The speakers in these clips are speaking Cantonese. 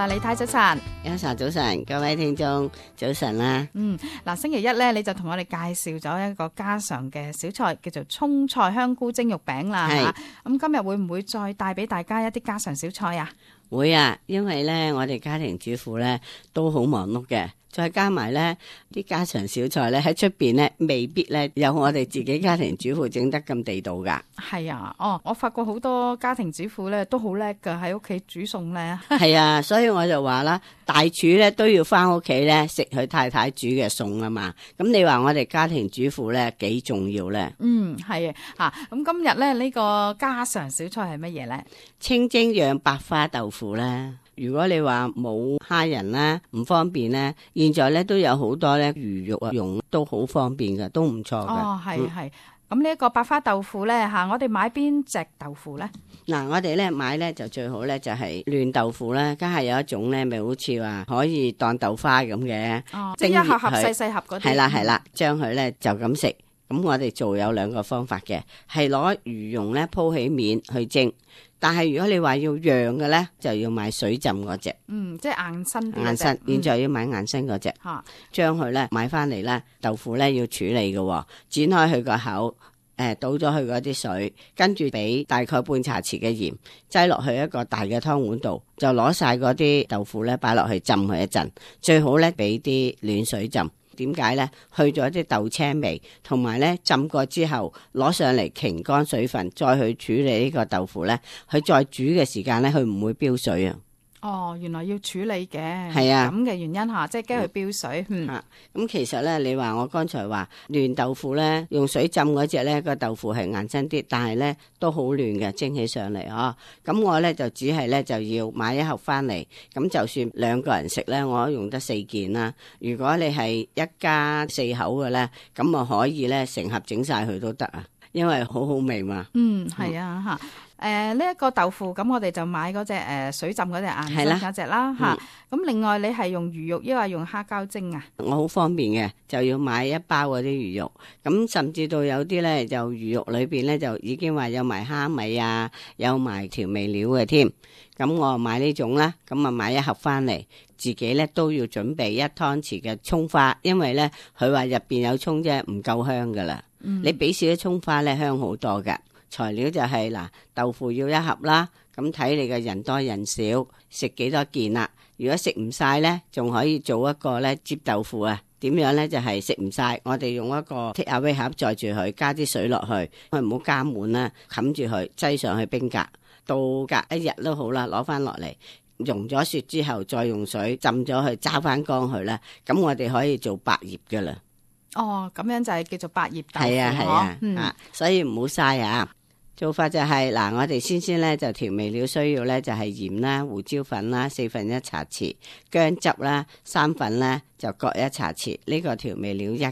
啦，李太早晨。一晨早晨，各位聽眾早晨啦。嗱，星期一咧，你就同我哋介紹咗一個家常嘅小菜，叫做葱菜香菇蒸肉餅啦。係。咁今日會唔會再帶俾大家一啲家常小菜啊？會啊，因為咧我哋家庭主婦咧都好忙碌嘅，再加埋咧啲家常小菜咧喺出邊咧未必咧有我哋自己家庭主婦整得咁地道噶。係啊，我發覺好多家庭主婦咧都好叻噶，喺屋企煮餸咧。係啊，所以我就話啦，大廚咧都要翻屋企咧食佢太太煮嘅餸啊嘛。咁你話我哋家庭主婦咧幾重要咧？係啊，咁今日咧呢個家常小菜係乜嘢咧？清蒸釀白花豆腐咧。如果你話冇蝦仁啦，唔方便咧，現在咧都有好多咧魚肉啊用都好方便噶，都唔錯噶。係。咁呢一個白花豆腐咧我哋買邊隻豆腐咧？嗱，我哋咧買咧就最好咧就係嫩豆腐啦，家下有一種咧咪好似話可以當豆花咁嘅，即係一盒盒細細盒嗰啲。係啦，將佢咧就咁食。咁我哋做有兩個方法嘅，係攞魚蓉咧鋪起面去蒸。但係如果你話要釀嘅咧，就要買水浸嗰隻，即係硬身啲硬身，現在要買硬身嗰隻，將佢咧買翻嚟咧，豆腐咧要處理嘅，剪開佢個口，倒咗佢嗰啲水，跟住俾大概半茶匙嘅鹽，擠落去一個大嘅湯碗度，就攞晒嗰啲豆腐咧擺落去浸佢一陣，最好咧俾啲暖水浸。點解呢？去咗啲豆青味，同埋呢浸過之後攞上嚟擎乾水分，再去處理呢個豆腐呢，佢再煮嘅時間呢，佢唔會飆水啊。原來要處理嘅，係啊，咁嘅原因吓，即係驚佢飆水。咁其實呢，你話我剛才話嫩豆腐呢，用水浸嗰隻呢個豆腐係硬身啲，但係呢都好嫩嘅，蒸起上嚟啊。咁我呢就只係呢就要買一盒翻嚟，咁就算兩個人食呢，我都用得4件啦。如果你係一家4口嘅呢，咁啊可以呢成盒整晒佢都得啊，因為好好味嘛。係啊吓。呢一個豆腐咁，我哋就買嗰隻水浸嗰隻硬身嗰隻啦吓。咁另外你係用魚肉，抑或用蝦膠蒸啊？我好方便嘅，就要買一包嗰啲魚肉。咁甚至到有啲咧，就魚肉裏邊咧就已經話有埋蝦米啊，有埋調味料嘅添。咁我買呢種啦，咁啊買一盒翻嚟，自己咧都要準備1湯匙嘅蔥花，因為咧佢話入邊有蔥啫，唔夠香噶啦。你俾少啲蔥花咧，香好多噶。材料就係嗱，豆腐要1盒啦，咁睇你嘅人多人少，食幾多件啦。如果食唔晒呢，仲可以做一個呢摺豆腐啊。點樣呢？就係食唔晒，我哋用一個 take away 盒載住佢，加啲水落去，唔好加滿啦，冚住佢，擠上去冰格，到隔1日都好啦，攞翻落嚟，溶咗雪之後，再用水浸咗佢，揸翻乾佢啦。咁我哋可以做百葉噶啦。咁樣就係叫做百葉豆腐。係啊，所以唔好嘥啊。做法就係嗱，我哋先咧就調味料需要咧就係鹽啦、胡椒粉啦4分1茶匙，薑汁啦3份咧就各1茶匙，呢個調味料1。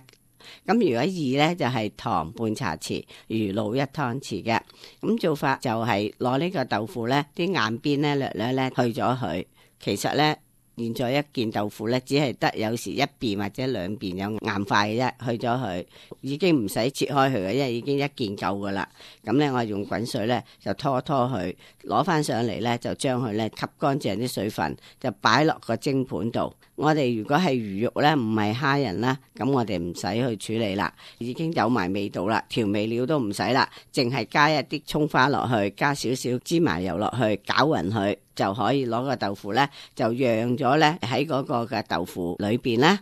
咁如果2咧就係糖半茶匙，魚露1湯匙嘅。咁做法就係攞呢個豆腐咧啲硬邊咧略咧去咗佢，其實咧。現在一件豆腐咧，只係得有時1邊或者2邊有硬塊嘅啫，去咗佢已經唔使切開佢嘅，因為已經一件夠噶啦。咁咧，我用滾水咧就拖佢，攞翻上嚟咧就將佢咧吸乾淨啲水分，就擺落個蒸盤度。我哋如果係魚肉咧，唔係蝦仁啦，咁我哋唔使去處理啦，已經有埋味道啦，調味料都唔使啦，淨係加一啲蔥花落去，加少少芝麻油落去，攪勻佢。就可以攞個豆腐咧，就釀咗咧喺嗰個嘅豆腐裏邊啦。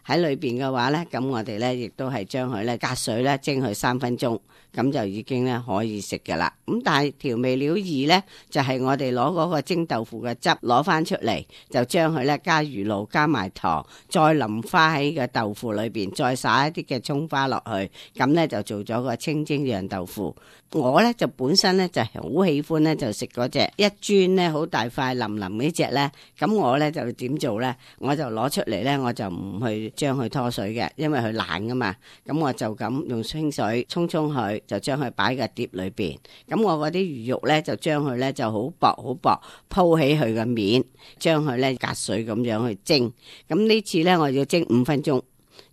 喺裏邊嘅話咧，咁我哋咧亦都係將佢咧隔水咧蒸佢3分鐘，咁就已經咧可以食噶啦。咁但係調味料2咧，就係我哋攞嗰個蒸豆腐嘅汁攞翻出嚟，就將佢咧加魚露加埋糖，再淋花喺個豆腐裏邊，再撒一啲嘅蔥花落去，咁咧就做咗個清蒸釀豆腐。我咧就本身咧就係好喜歡咧就食嗰隻一磚咧好大塊淋淋呢隻咧，咁我咧就點做咧？我就攞出嚟咧，我就唔去將佢拖水嘅，因為佢爛噶嘛。咁我就咁用清水沖佢，就將佢擺個碟裏邊。咁我嗰啲魚肉咧就將佢咧就好薄鋪起佢個面，將佢咧隔水咁樣去蒸。咁呢次咧我要蒸5分鐘。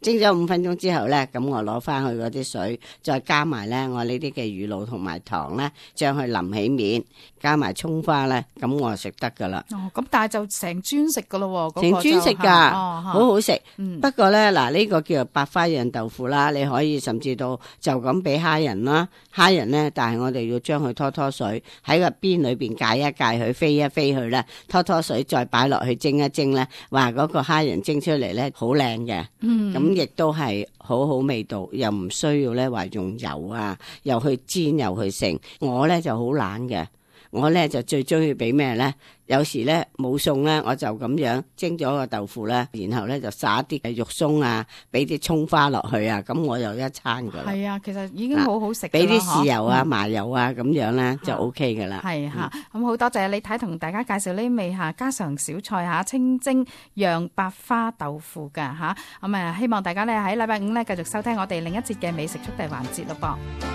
蒸咗5分鐘之後咧，咁我攞翻去嗰啲水，再加埋咧我呢啲嘅乳酪同埋糖咧，將佢淋起面，加埋葱花咧，咁我就食得噶啦。哦，咁但係就成磚食噶咯喎，成磚食噶，好好食。嗯，不過咧嗱，呢個叫做白花樣豆腐啦，你可以甚至到就咁俾蝦仁啦，蝦仁咧，但係我哋要將佢拖水喺個邊裏邊界一界佢，飛一飛佢咧，拖水再擺落去蒸一蒸咧，話嗰個蝦仁蒸出嚟咧好靚嘅。咁亦都係好好味道，又唔需要咧話用油啊，又去煎又去剩。我咧就好懶嘅，我咧就最中意俾咩咧？有時咧冇餸咧，我就咁樣蒸咗個豆腐咧，然後咧就撒啲嘅肉鬆啊，俾啲葱花落去啊，咁我又一餐噶啦。係啊，其實已經好好食。俾啲豉油啊、麻油啊咁樣咧就 OK 噶啦。係嚇，咁好多謝李太同大家介紹呢味嚇家常小菜嚇清蒸釀白花豆腐㗎嚇。咁希望大家咧喺禮拜5咧繼續收聽我哋另一節嘅美食速遞環節咯噃。